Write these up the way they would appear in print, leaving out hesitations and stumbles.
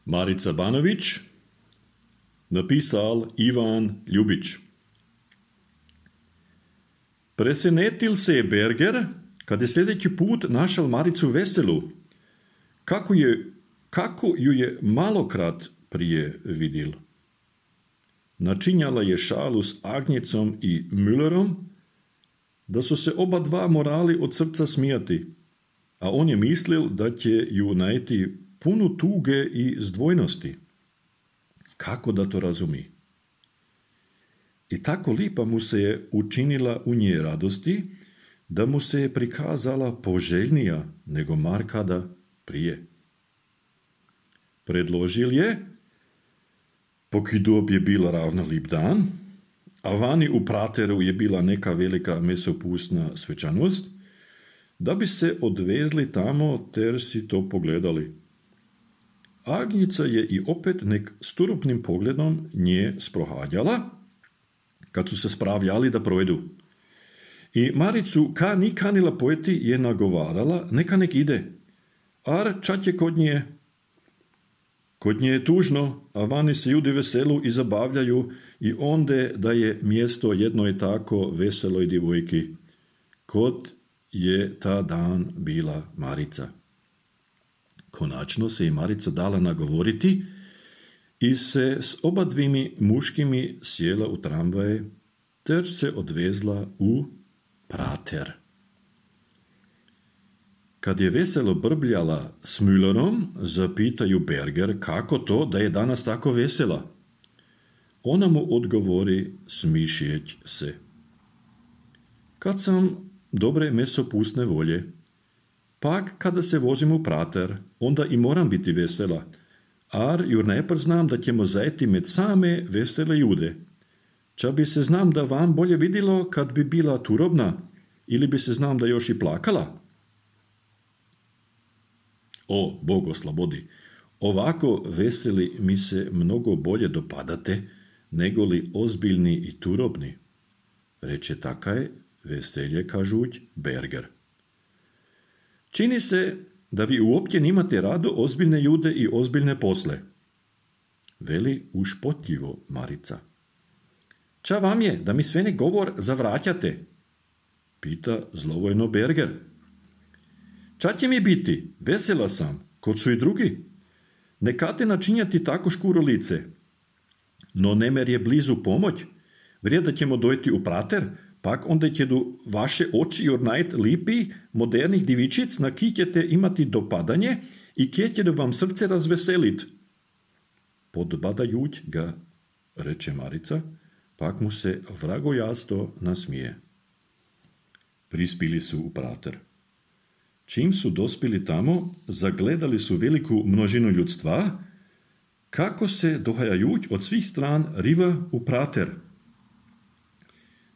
Marica Banović, napisal Ivan Ljubić. Presenetil se je Berger, kad je sljedeći put našel Maricu veselu, kako ju je malokrat prije vidil. Načinjala je šalu s Agnjecom i Müllerom, da su se oba dva morali od srca smijati, a on je mislil da će ju najti punu tuge i zdvojnosti. Kako da to razumi? I tako lipa mu se je učinila u nje radosti, da mu se je prikazala poželjnija nego markada prije. Predložil je, poki dob je bila ravno lip dan, a vani u prateru je bila neka velika mesopustna svečanost, da bi se odvezli tamo ter si to pogledali. Agnjica je i opet nek sturupnim pogledom nje sprohadjala, kad su se spravljali da provedu. I Maricu, ka ni kanila pojeti, je nagovarala, neka nek ide. Ar čat je kod nje? Kod nje je tužno, a vani se ljudi veselu i zabavljaju i onde da je mjesto jednoj tako veseloj divojki. Kod je ta dan bila Marica. Konačno se je Marica dala nagovoriti i se s obadvimi muškimi sjela u tramvaje ter se odvezla u prater. Kad je veselo brbljala s Müllerom, zapitaju Berger kako to da je danas tako vesela. Ona mu odgovori smišijeć se. Kad sam dobre mesopustne volje, pak kada se vozim u prater, onda i moram biti vesela, ar jur najpr znam da ćemo zajeti med same vesele jude. Ča bi se znam da vam bolje vidilo kad bi bila turobna, ili bi se znam da još i plakala? O, Bog oslobodi, ovako veseli mi se mnogo bolje dopadate, nego li ozbiljni i turobni, reče takaj veselje kažuć Berger. Čini se da vi uopće nimate rado ozbiljne jude i ozbiljne posle, veli ušpotljivo Marica. Ča vam je da mi sve ne govor zavraćate? Pita zlovojno Berger. Ča će mi biti? Vesela sam, kod su i drugi. Nekate načinjati tako škuro lice. No nemer je blizu pomoć. Vrijeda ćemo dojti u prater, pak onda će do vaše oči jornajt lipi, modernih divičic, na ki ćete imati dopadanje i kje će da vam srce razveselit. Podbadajuć ga, reče Marica, pak mu se vragojasto nasmije. Prispili su u prater. Čim su dospili tamo, zagledali su veliku množinu ljudstva, kako se dohajajuć od svih stran riva u prater.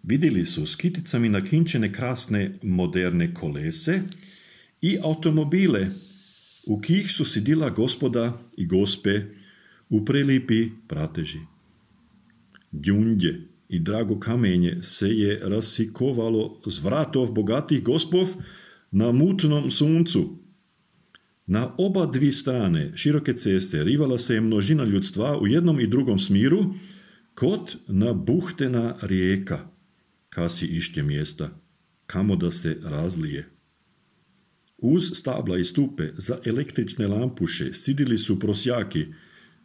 Vidjeli su s kiticami nakinčene krasne moderne kolese i automobile, u kih su sidila gospoda i gospe u prelipi prateži. Gjundje i drago kamenje se je rasikovalo z vratov bogatih gospov na mutnom suncu. Na oba dvi strane široke ceste rivala se je množina ljudstva u jednom i drugom smiru, kot nabuhtena rijeka, kasi išće mjesta, kamo da se razlije. Uz stabla i stupe za električne lampuše sidili su prosjaki,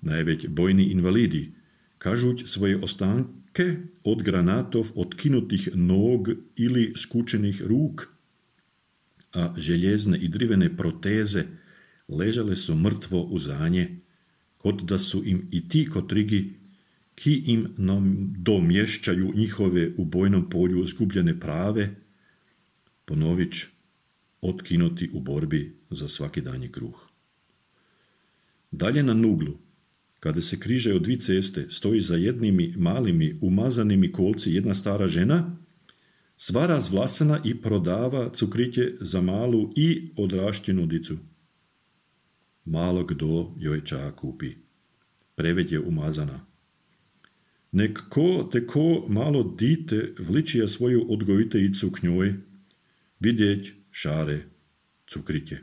najveć bojni invalidi, kažuć svoje ostanke od granatov otkinutih nog ili skučenih ruk, a željezne i drivene proteze ležale su mrtvo u zanje, kot da su im i ti kotrigi, ki im domješćaju njihove u bojnom polju zgubljene prave, ponović otkinuti u borbi za svaki danji kruh. Dalje na nuglu, kada se križaju dvi ceste, stoji za jednimi malimi umazanimi kolci jedna stara žena, sva razvlasana i prodava cukriće za malu i odrašćenu dicu. Malo kdo joj ča kupi. Preveć je umazana. Nek ko te ko malo dite vličija svoju odgojiteljicu k njoj, vidjeć šare cukriće.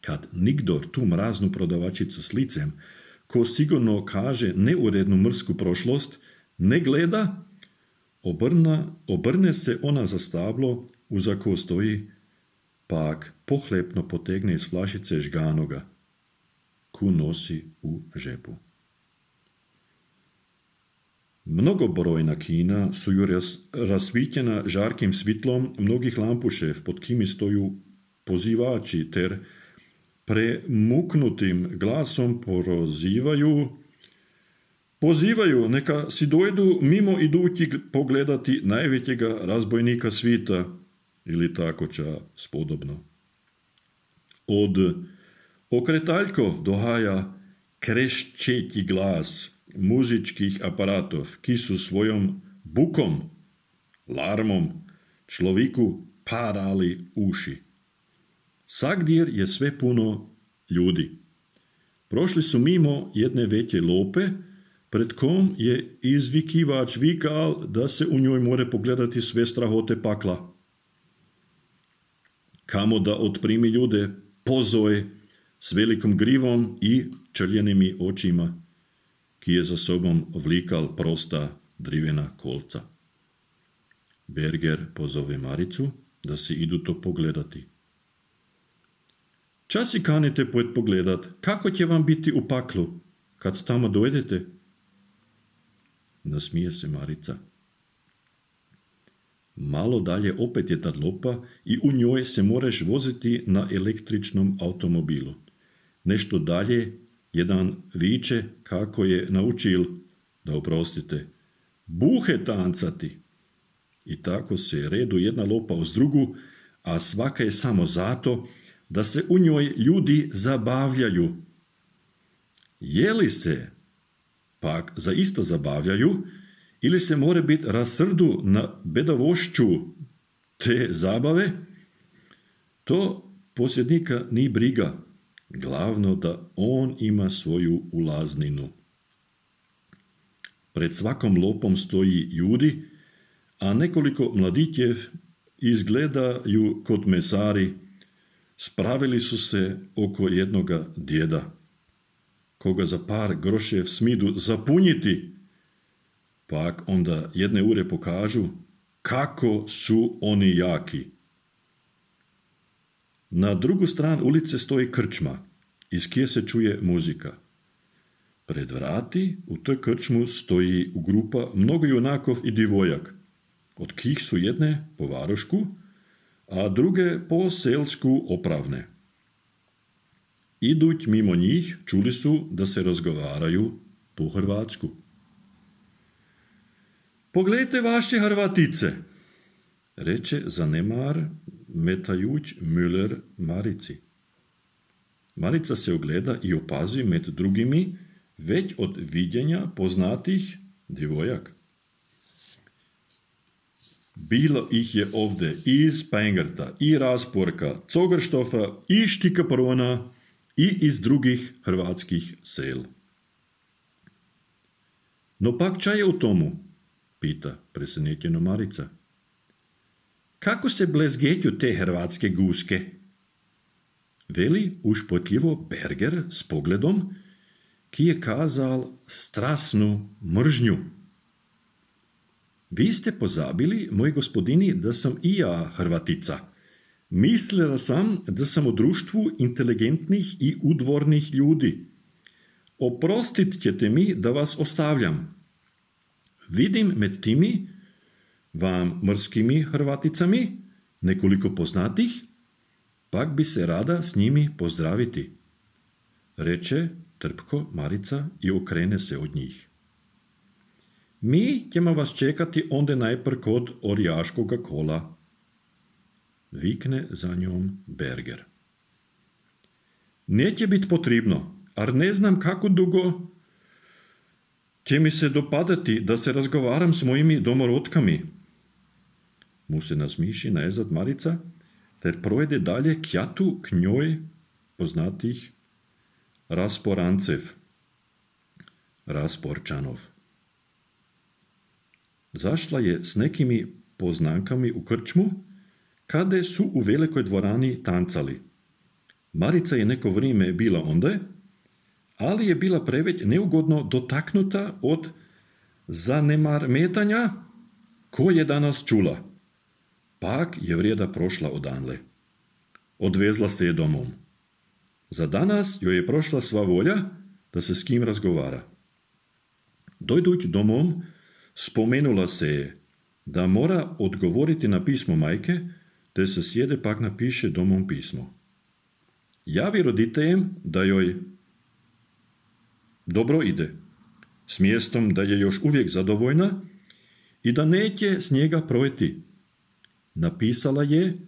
Kad nikdor tu mraznu prodavačicu s licem, ko sigurno kaže neurednu mrsku prošlost, ne gleda, obrne se ona za stablo uza ko stoji, pak pohlepno potegne iz flašice žganoga, ku nosi u žepu. Mnogobrojna kina su ju rasvitljena žarkim svitlom mnogih lampušev, pod kimi stoju pozivači, ter premuknutim glasom pozivaju neka si dojdu mimo idući pogledati najvećega razbojnika svita, ili tako ča spodobno. Od okretaljkov dohaja krešćeti glas muzičkih aparatov, ki su svojom bukom, larmom, človeku parali uši. Sagdjer je sve puno ljudi. Prošli su mimo jedne veće lope, pred kom je izvikivač vikal da se u njoj more pogledati sve strahote pakla. Kamo da otprimi ljude pozoj s velikom grivom i črljenimi očima, ki je za sobom vlikal prosta drivena kolca. Berger pozove Maricu da si idu to pogledati. Čas si kanite pogledat, kako će vam biti u paklu, kad tamo dojdete? Nasmije se Marica. Malo dalje opet jedna lopa i u njoj se moreš voziti na električnom automobilu. Nešto dalje jedan viče kako je naučil, da oprostite, buhe tancati. I tako se redu jedna lopa uz drugu, a svaka je samo zato da se u njoj ljudi zabavljaju. Je li se pak zaista zabavljaju ili se more biti rasrdu na bedavošću te zabave, to posjednika ni briga. Glavno da on ima svoju ulazninu. Pred svakom lopom stoji ljudi, a nekoliko mladićev izgledaju kod mesari, spravili su se oko jednoga djeda, koga za par grošev smidu zapunjiti, pak onda jedne ure pokažu kako su oni jaki. Na drugu stranu ulice stoji krčma, iz kje se čuje muzika. Pred vrati u toj krčmu stoji grupa mnogo junakov i divojak, od kih su jedne po varošku, a druge po selsku opravne. Iduć mimo njih, čuli su da se razgovaraju po hrvatsku. Pogledajte vaše Hrvatice, reče zanemar metajuć Müller Marici. Marica se ogleda i opazi med drugimi već od viđenja poznatih divojak. Bilo ih je ovdje i iz Pengerta, i Rasporka, Cogerštofa, i Štikaprona, i iz drugih hrvatskih sel. No pak ča je u tomu? Pita presenetjeno Marica. Kako se blezgetju te hrvatske guske? Veli ušpotljivo Berger s pogledom, ki je kazal strasnu mržnju. Vi ste pozabili, moj gospodini, da sam i ja Hrvatica. Mislila sam da sam u društvu inteligentnih i udvornih ljudi. Oprostit ćete mi da vas ostavljam. Vidim med timi, vam mrskimi Hrvaticami, nekoliko poznatih, pak bi se rada s njimi pozdraviti. Reče trpko Marica i okrene se od njih. Mi ćemo vas čekati onda najpr kod orjaškoga kola. Vikne za njom Berger. Neće biti potrebno, ar ne znam kako dugo će mi se dopadati da se razgovaram s mojimi domorodkami. Mu se nasmiši najzad Marica, ter projede dalje kjatu k njoj poznatih Rasporancev, Rasporčanov. Zašla je s nekimi poznankami u krčmu, kade su u velikoj dvorani tancali. Marica je neko vrijeme bila onda, ali je bila preveć neugodno dotaknuta od zanemarmetanja ko je danas čula. Pak je vrijeda prošla odanle. Odvezla se je domom. Za danas joj je prošla sva volja da se s kim razgovara. Dojduć domom, spomenula se je da mora odgovoriti na pismo majke, te se sjede pak napiše domom pismo. Javi roditeljem da joj dobro ide, s mjestom da je još uvijek zadovoljna i da neće s njega projeti. Napisala je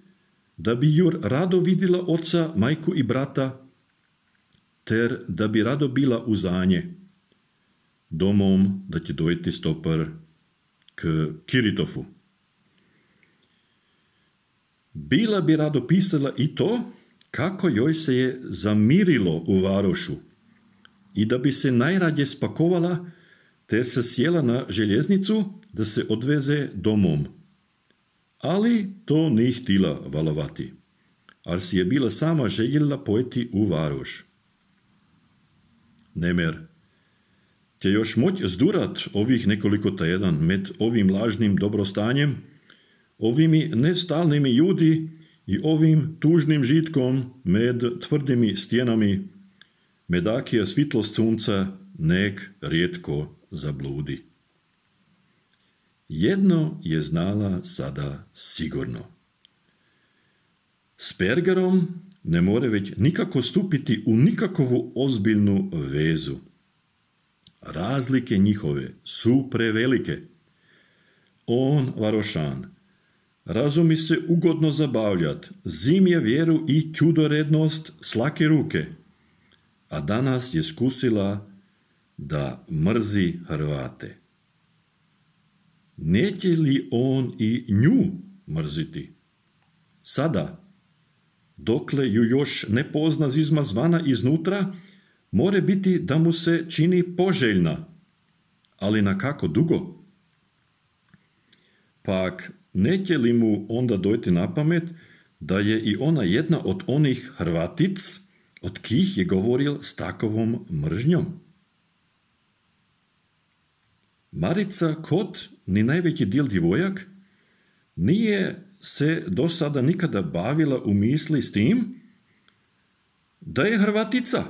da bi jur rado vidjela oca, majku i brata, ter da bi rado bila uzanje. Domom da će dojeti stopar k Kiritofu. Bila bi rado pisala i to kako joj se je zamirilo u Varošu i da bi se najradje spakovala te se sjela na željeznicu da se odveze domom. Ali to nije htjela valovati, ar si je bila sama željela pojeti u Varoš. Nemer, će još moć zdurat ovih nekoliko tjedan med ovim lažnim dobrostanjem, ovimi nestalnimi ljudi i ovim tužnim žitkom med tvrdimi stjenami, medakija svitlost sunca nek rijetko zabludi. Jedno je znala sada sigurno. S Pergerom ne more već nikako stupiti u nikakovu ozbiljnu vezu. Razlike njihove su prevelike. On, Varošan, razumi se ugodno zabavljat, zimje vjeru i čudorednost s lake ruke, a danas je skusila da mrzi Hrvate. Neće li on i nju mrziti? Sada, dokle ju još ne pozna zizma zvana iznutra, more biti da mu se čini poželjna, ali na kako dugo? Pak, neće li mu onda dojti na pamet da je i ona jedna od onih Hrvatic, od kih je govoril s takovom mržnjom? Marica, kot ni najveći dio djevojak, nije se do sada nikada bavila u misli s tim da je Hrvatica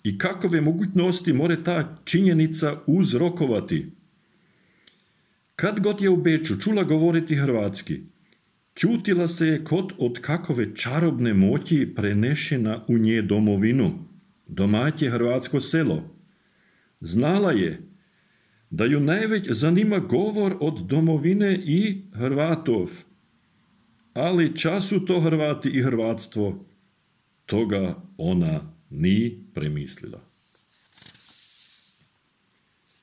i kakove mogućnosti more ta činjenica uzrokovati. Kad god je u Beču čula govoriti hrvatski, čutila se je kot od kakove čarobne moći prenešena u nje domovinu, domaće hrvatsko selo. Znala je da ju najveć zanima govor od domovine i Hrvatov, ali času to Hrvati i hrvatstvo, toga ona ni premislila.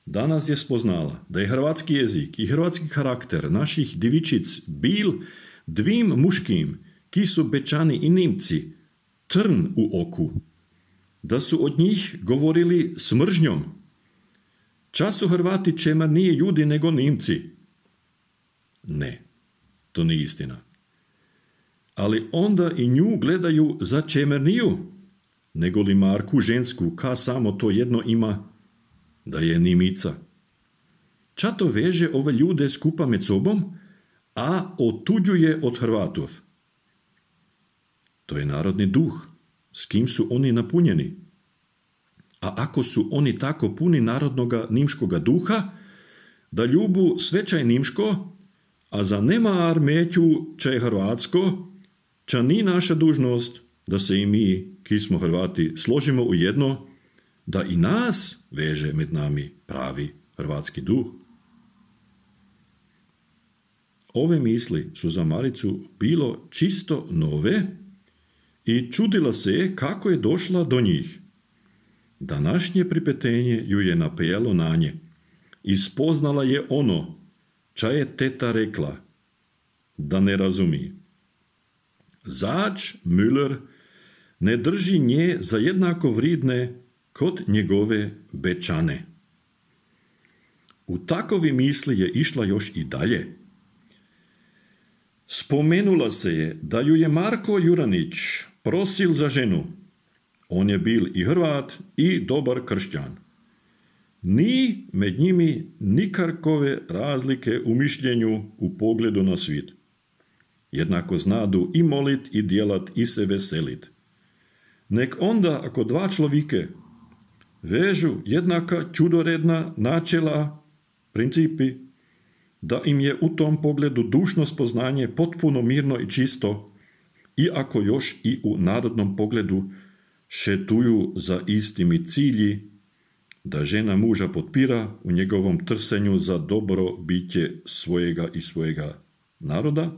Danas je spoznala da je hrvatski jezik i hrvatski karakter naših divičic bil dvim muškim, ki su Bečani i Nimci, trn u oku, da su od njih govorili s mržnjom. Čas su Hrvati čemer nije ljudi nego Nimci. Ne, to nije istina. Ali onda i nju gledaju za čemerniju, nego li Marku žensku, ka samo to jedno ima, da je Nimica. Čato veže ove ljude skupa med sobom, a otuđuje od Hrvatov. To je narodni duh, s kim su oni napunjeni. A ako su oni tako puni narodnoga nimškoga duha, da ljubu svećaj nimško, a za nema armeću čaj hrvatsko, ča ni naša dužnost da se i mi, ki smo Hrvati, složimo u jedno, da i nas veže med nami pravi hrvatski duh. Ove misli su za Maricu bilo čisto nove i čudila se je kako je došla do njih. Današnje pripetenje ju je napelo na nje i spoznala je ono, ča je teta rekla, da ne razumi. Zač Müller ne drži nje za jednako vridne kod njegove Bečane. U takovi misli je išla još i dalje. Spomenula se je da ju je Marko Juranić prosil za ženu. On je bil i Hrvat i dobar kršćan. Ni med njimi nikarkove razlike u mišljenju u pogledu na svijet. Jednako znadu i molit i djelat i se veselit. Nek onda ako dva človike vežu jednaka čudoredna načela, principi, da im je u tom pogledu dušno spoznanje potpuno mirno i čisto, iako još i u narodnom pogledu šetuju za istimi cilji, da žena muža potpira u njegovom trsenju za dobro biće svojega i svojega naroda,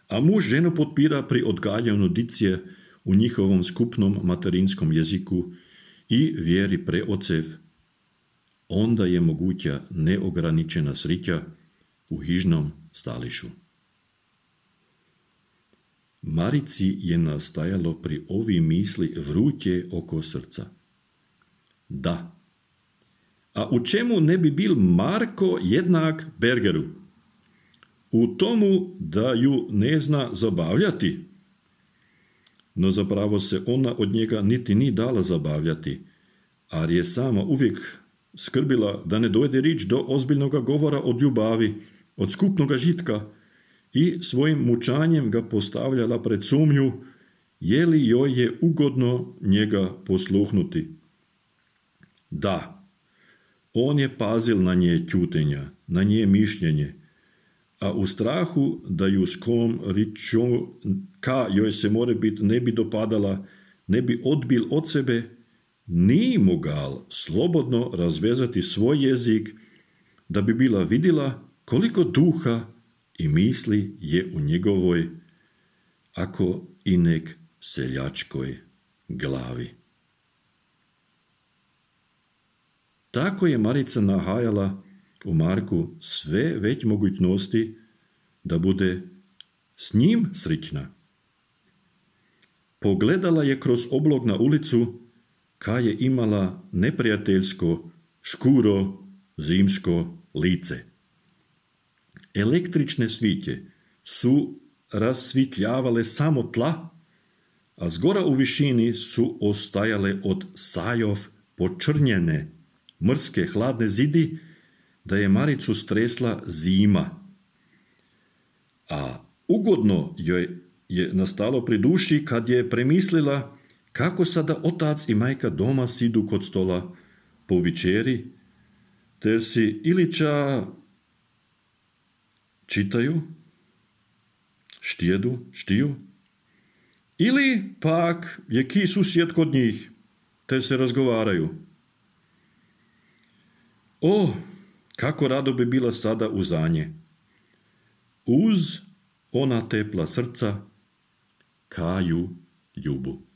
a muž ženu potpira pri odgajanju dicije u njihovom skupnom materinskom jeziku i vjeri preocev, onda je moguća neograničena srića u hižnom stališu. Marici je nastajalo pri ovi misli vruće oko srca. Da. A u čemu ne bi bil Marko jednak Bergeru? U tomu da ju ne zna zabavljati. No zapravo se ona od njega niti ni dala zabavljati, ar je sama uvijek skrbila da ne dojde rič do ozbiljnog govora od ljubavi, od skupnog žitka, i svojim mučanjem ga postavljala pred sumnju, je li joj je ugodno njega posluhnuti. Da, on je pazil na nje ćutenja, na nje mišljenje, a u strahu da ju s kom riču, ka joj se more bit ne bi dopadala, ne bi odbil od sebe, ni mogal slobodno razvezati svoj jezik, da bi bila vidjela koliko duha i misli je u njegovoj, ako i nek seljačkoj glavi. Tako je Marica nahajala u Marku sve već mogućnosti da bude s njim srićna. Pogledala je kroz oblog na ulicu, ka je imala neprijateljsko, škuro, zimsko lice. Električne svitje su rasvitljavale samo tla, a zgora u višini su ostajale od sajov počrnjene, mrske hladne zidi, da je Maricu stresla zima. A ugodno joj je nastalo pri duši kad je premislila kako sada otac i majka doma sidu kod stola po večeri, ter si iliča čitaju, štiju, ili pak je ki susjed kod njih, te se razgovaraju. O, kako rado bi bila sada uzanje. Uz ona tepla srca, kaju ljubu.